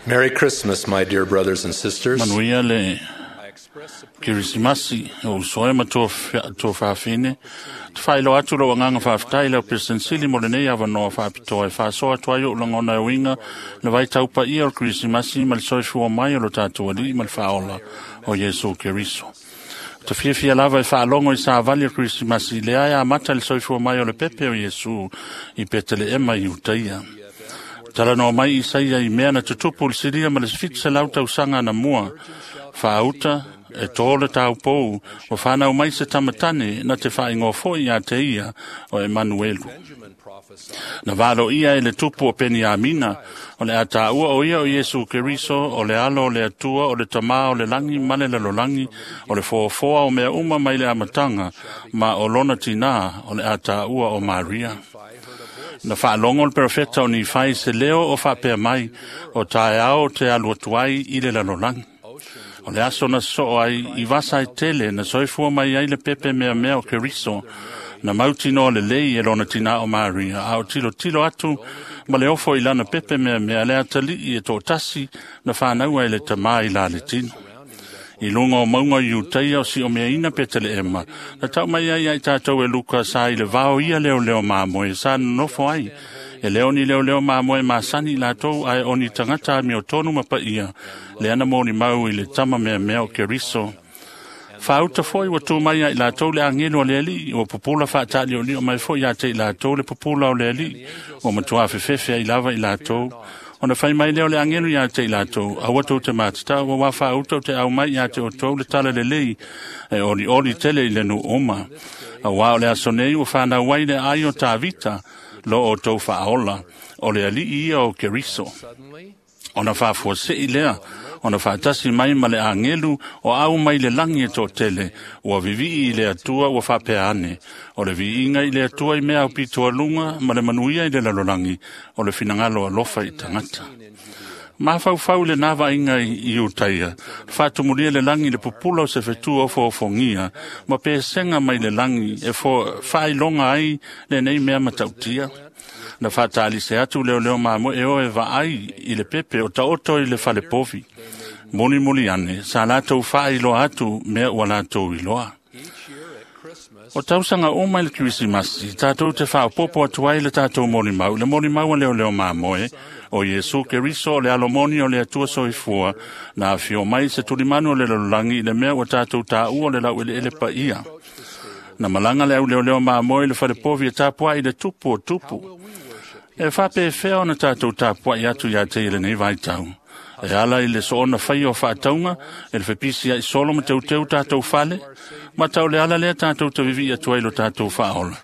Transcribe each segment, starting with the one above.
Merry Christmas, my dear brothers and sisters. Manuia le Kerisimasi o uso e ma tuafafine. Te whailo atu lo anganga whaaftai leo President Sili mo lenei avanoa whaapitoa e whaasoa atu ai o ulangona e uinga le vai taupa ia o Kerisimasi ma le soifua mai o lo tātou alii ma le whaola o Iesu Keriso. Te fiafia lava e whaalongo i sa vali o Kerisimasi le aia amata le soifua mai o le pepe o Iesu i Petele i Utaia. Tala no mai Isaia i mea na tutupu le silia ma le 700 tausaga na mua. Whaauta e tō le taupou o whanau mai se tamatane na te whaingoa foi ia te ia o Emanuelu. Na valo ia e le tupu o Peniamina, o le ataua o ia o Iesu Keriso, o le alo o le atua, o le tamā o le langi ma le lalolagi, o le foafoa o mea uma mai le amatanga, ma o lona tinā o le ataua o Maria. Na whaalongo le profeta o Nifai se leo o whaapea mai, o taeao te alu atu ai i le lalolagi. O le aso na soo ai i vasa e tele na soifua mai ai le pepe mea mea o Keriso, na mautinoa le lei e lona tina o Maria, a o tilo tilo atu ma le ofo i lana pepe mea mea le atalii e tōtasi na whānaua e le tamā i la le tino. I lunga o maunga i Utaia o si o mea ina Petele na tau mai ai ai tātou e Luka sa i le vao ia leo leo māmoe sa nofo ai. E leo ni leo leo māmoe masani lātou ai o ni tangata mi o tonu mapa ia, le ana mōni mau i le tama mea mea o Keriso. Whaauta foi ua tū mai ai lātou le angelo o le alii, ua pupula whaatali o lio mai foi a te i lātou le pupula o le alii, ua matua fefefe ai lava i lātou. Ona whai mai leo le angelo ia te i lātou, aua tau te mātata, ua wā whaauta o te au mai ia te o tau le tala le lei, e oli oli tele i le nu oma. A wā o le aso nei ua whanau ai le ai o Tāvita, lo o tau whaola, o le alii ia o Keriso. Ona whaafua se i lea, ona whaatasi mai ma le angelu o au mai le langi e tō tele, ua vivii i le atua ua whaapea ane. O le viinga i le atua i mea au pitoa lunga ma le manuia i le lalolagi, o le finangalo alofa i tangata. Mawhauwhau le nā vainga i Utaia, whaatumulia le langi le pupula o se whetua o whaofongia, ma pēsenga mai le langi e whailonga ai le nei mea matautia. Na whaatali se atu leo leo māmoe e o e vaai i le pepe o taoto i le whalepovi. Moni moli ane, sa lātou whaailoa atu mea ua lātou iloa. O tausanga o mai le Kerisimasi, tātou te whaopopo atu ai le tātou molimau, le molimau a leo leo māmoe, o Iesu Keriso o le alomoni o le atua soifua, na awhio mai se tulimanu o le lalolagi i le mea ua tātou tāua o le lau ele ele pa ia. Na malanga le au leo leo māmoe le whalepovi e tāpua i le tupu o tupu. E whape e whea ona tātou tāpua i atu ia te i le nei vaitau. E ala i le soona whai o whaataunga, e le whepisi ai solo ma teu teu tātou whale, ma tau le ala lea tātou te vivi atu ai lo tātou whaola.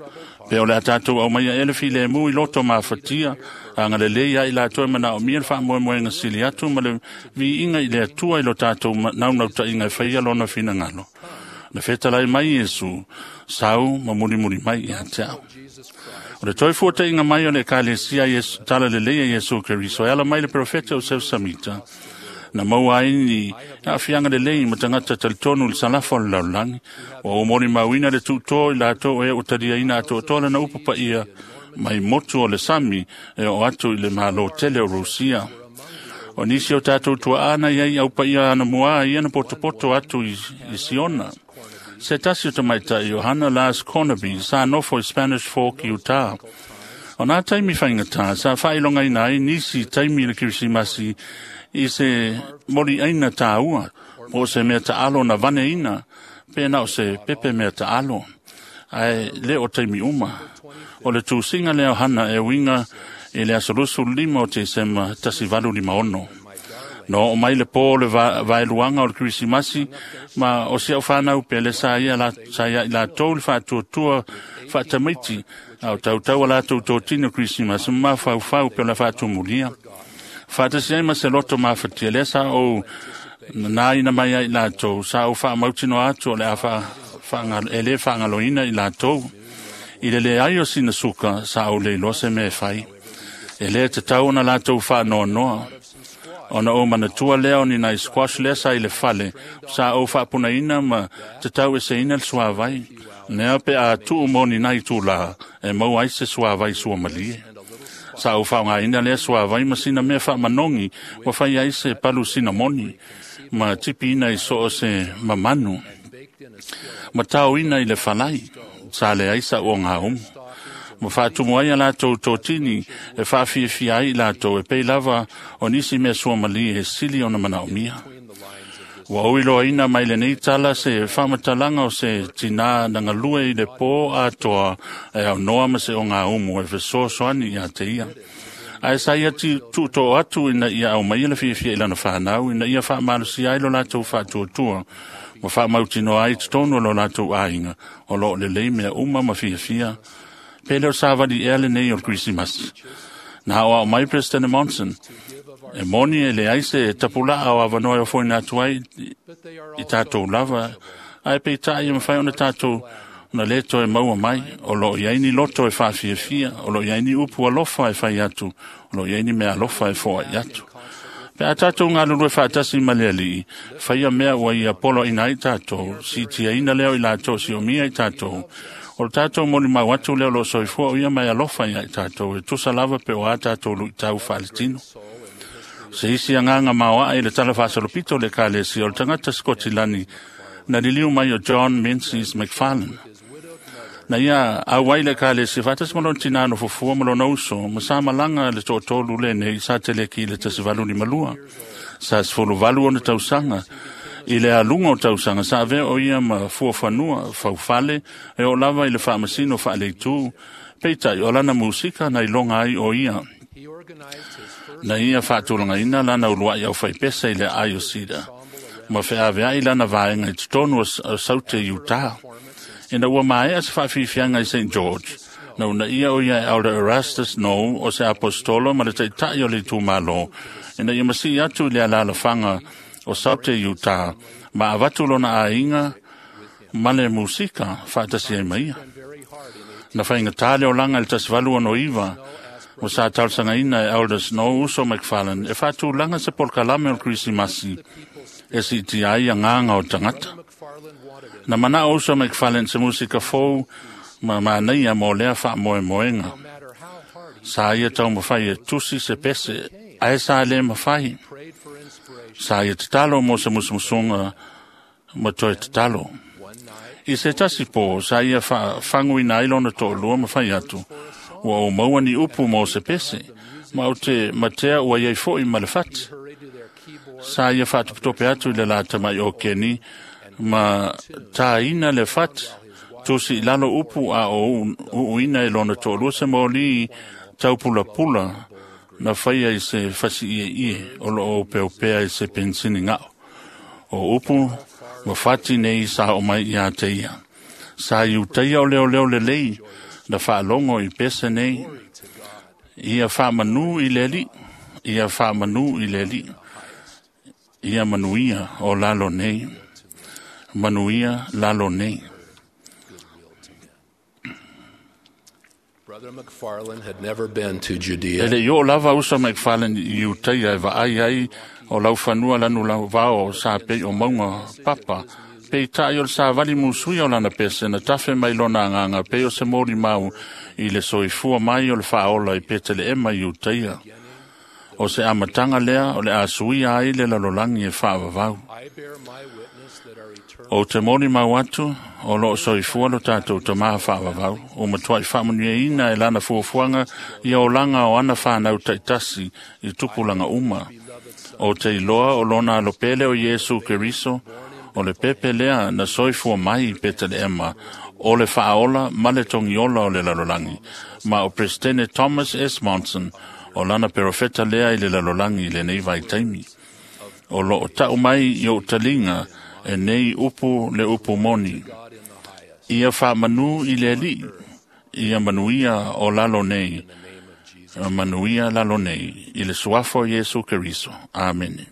Pe o le a tātou au mai a ele file mu i loto mafatia, a ngā le lei ai lātou e mana o mia le whaamoemoenga sili atu, ma le viinga i le atua i lo tātou naunauta inga e whaia lona finangalo. Na whetalai mai Iesu, sau ma muri muri mai i a te au. O le toi fuata inga mai o le ekalesia Iesu, tala le leia Iesu Keriso, e ala mai le profeta o Seu Samita. Na maua ai ni aafiaga lelei ma tagata talitonu i le salafa o le lalolagi. Ua ou molimauina le tuutō i latou e ua taliaina atoatoa lana upu paia mai motu o le sami e oo atu i le mālō tele o Rusia. O nisi o tatou tuaana iai au paia anamuā ia na potopoto atu i Siona. Se tasi o tamaitai o Hana Lars Cornaby sa nofo i Spanish Fork, Utah. O nā taimi whaingatā, sa whailongaina ai nisi taimi le Kerisimasi i se mori aina tāua, po se mea taalo na vane ina, pēnā o se pepe mea taalo. Ai le o taimi uma. O le tūsinga lea o Hana e uinga i le aso 25 o Tesema 1856. No o mai le pō le vaeluanga o le Kerisimasi, ma o si au whanau pe le sa ia i lātou le whaatuatua whaatamaiti, a o tautau a lātou tōtino Kerisimasi, ma whauwhau pe o le whaatumulia. Whaatasi ai ma se loto mafatia, lea sa o nā ina mai ai lātou, sa o whaamautino atu o le a e le whaangaloina i lātou. I le le ai o sina suka, sa o le iloa se mea e whai. E lea te tau ona lātou whaanoanoa. Ona o manatua lea o ni nai squash lea sa i le fale, sa o whaapunaina ma te tau e se ina le suavai. Nea pe a tuu mo ni nai tūlā, e mau ai se suavai sua malie. Sa ou faaaogaina lea suavai ma sina mea faamanogi ua fai ai se palu sinamoni ma tipiina i so o se mamanu ma taoina i le falai sa leai sa'u ogaumu ma faatumu ai a latou totini e faafiafia ai i latou e pei lava o nisi mea suamalie e sili ona manaomia. Ua ou iloaina mai lenei tala se faamatalaga o se tinā na galue i le pō atoa e aunoa ma se ogaumu e fesoasoani iā te ia. Ae sa ia tuutoo atu ina ia aumaia le fiafia i lana fanau, ina ia faamalosia ai lo latou faatuatua, ma faamautinoa ai totonu o lo latou aiga, o loo lelei mea uma ma fiafia. Pe le o savali ea lenei o le Kerisimasi. Na aoao mai Peresetene Monson, e moni e leai se tapulaa o avanoa e ofoina atu ai i tatou lava, ae peitai e mafai ona tatou ona lē toe maua mai. O loo i ai ni loto e faafiafia, o loo i ai ni upu alofa e fai atu, o loo i ai ni mea alofa e foai atu. Pe a tatou galulue faatasi ma le Alii, faia mea ua ia poloaina ai tatou, siitiaina lea o i latou siomia i tatou. O le tatou molimau atu lea o loo soifua o ia mai alofa iā i tatou, e tusa lava pe o a tatou luitau faaletino. Se isi agaga maoae i le tala faasolopito o le Ekalesia o le tagata Sikotilani na liliu mai o John Menzies McFarlane. Na ia auai le Ekalesia faatasi ma lona tinā nofofua ma lona uso ma sa malaga le toatolu lenei sa teleki i le 1852. Sa 18 ona tausaga. I le aluga o tausaga sa avea o ia ma fuafanua faufale e oo lava i le faamasino faaleitū. Peitai o lana musika na iloga ai o ia. Na ia faatulagaina lana uluai aufaipese i le aai o Cedar ma feaveai lana vaega i totonu o Saute Utah. Ina ua maea se faafiafiaga i St. George, na uunaia o ia e Elder Erastus Snow o se apostolo ma le taita'i o le itumalo, ina ia masii atu i le alalafaga o Saute Utah ma avatu lona aiga ma le musika faatasi ai ma ia. Na faigatā le olaga i le 1869 ua sa talosagaina e Elder Snow uso McFarlane e faatulaga se polokalame o le Kerisimasi e siitia ai agaga o tagata. Na manao uso McFarlane se musika fou ma manaia mo lea faamoemoega. Sa ia taumafai e tusi se pese, ae sa lē mafai. Sa ia tatalo mo se musumusuga ma toe tatalo. I se tasi pō, sa ia faafaguina ai lona toalua ma fai atu, ua ou maua ni upu mo se pese, ma ou te matea ua iai fo'i ma le fati. Sa ia faatopetope atu i le la tama'i o Keni ma tāina le fati, tusi i lalo upu a o uuina e lona toalua se moli taupulapula na faia i se fasi'ie'ie o loo opeopea i se pensini ga'o. O upu ma fati nei sa oo mai iā te ia. Sa i utaia o leoleo lelei na faalogo i pese nei. Ia faamanū i le Alii, ia faamanū i le Alii, ia manuia o lalo nei, manuia lalo nei. Brother McFarlane had never been to E Judea. le i oo lava uso McFarlane i Utaia e vaai ai o laufanua lanu lauvao sa pei o mauga papa. Peitai o le savali musuia o lana pese na tafe mai lona agaga pei o se molimau i le soifua mai o le faaola i Peteleema i Utaia. O se amataga lea o le a suia ai le lalolagi e faavavau. I bear my witness that our eternal O te molimau atu o loo soifua lo tatou tamā faavavau, o matuai faamanuiaina e lana fuafuaga ia olaga o ana fanau taitasi i tupulaga uma. O te iloa o lona alopele o Iesu Keriso, o le pepe lea na soifua mai i Peteleema, o le faaola ma le togiola o le lalolagi, ma o Peresetene Thomas S. Monson, o lana perofeta lea i le lalolagi i lenei vaitaimi. O loo tau mai i ou taliga e nei upu le upu moni. God in the highest. Ia faamanū i le Alii, ia manuia o lalo nei, In the name of Jesus. manuia lalo nei, i le suafa o Iesu Keriso. Amene.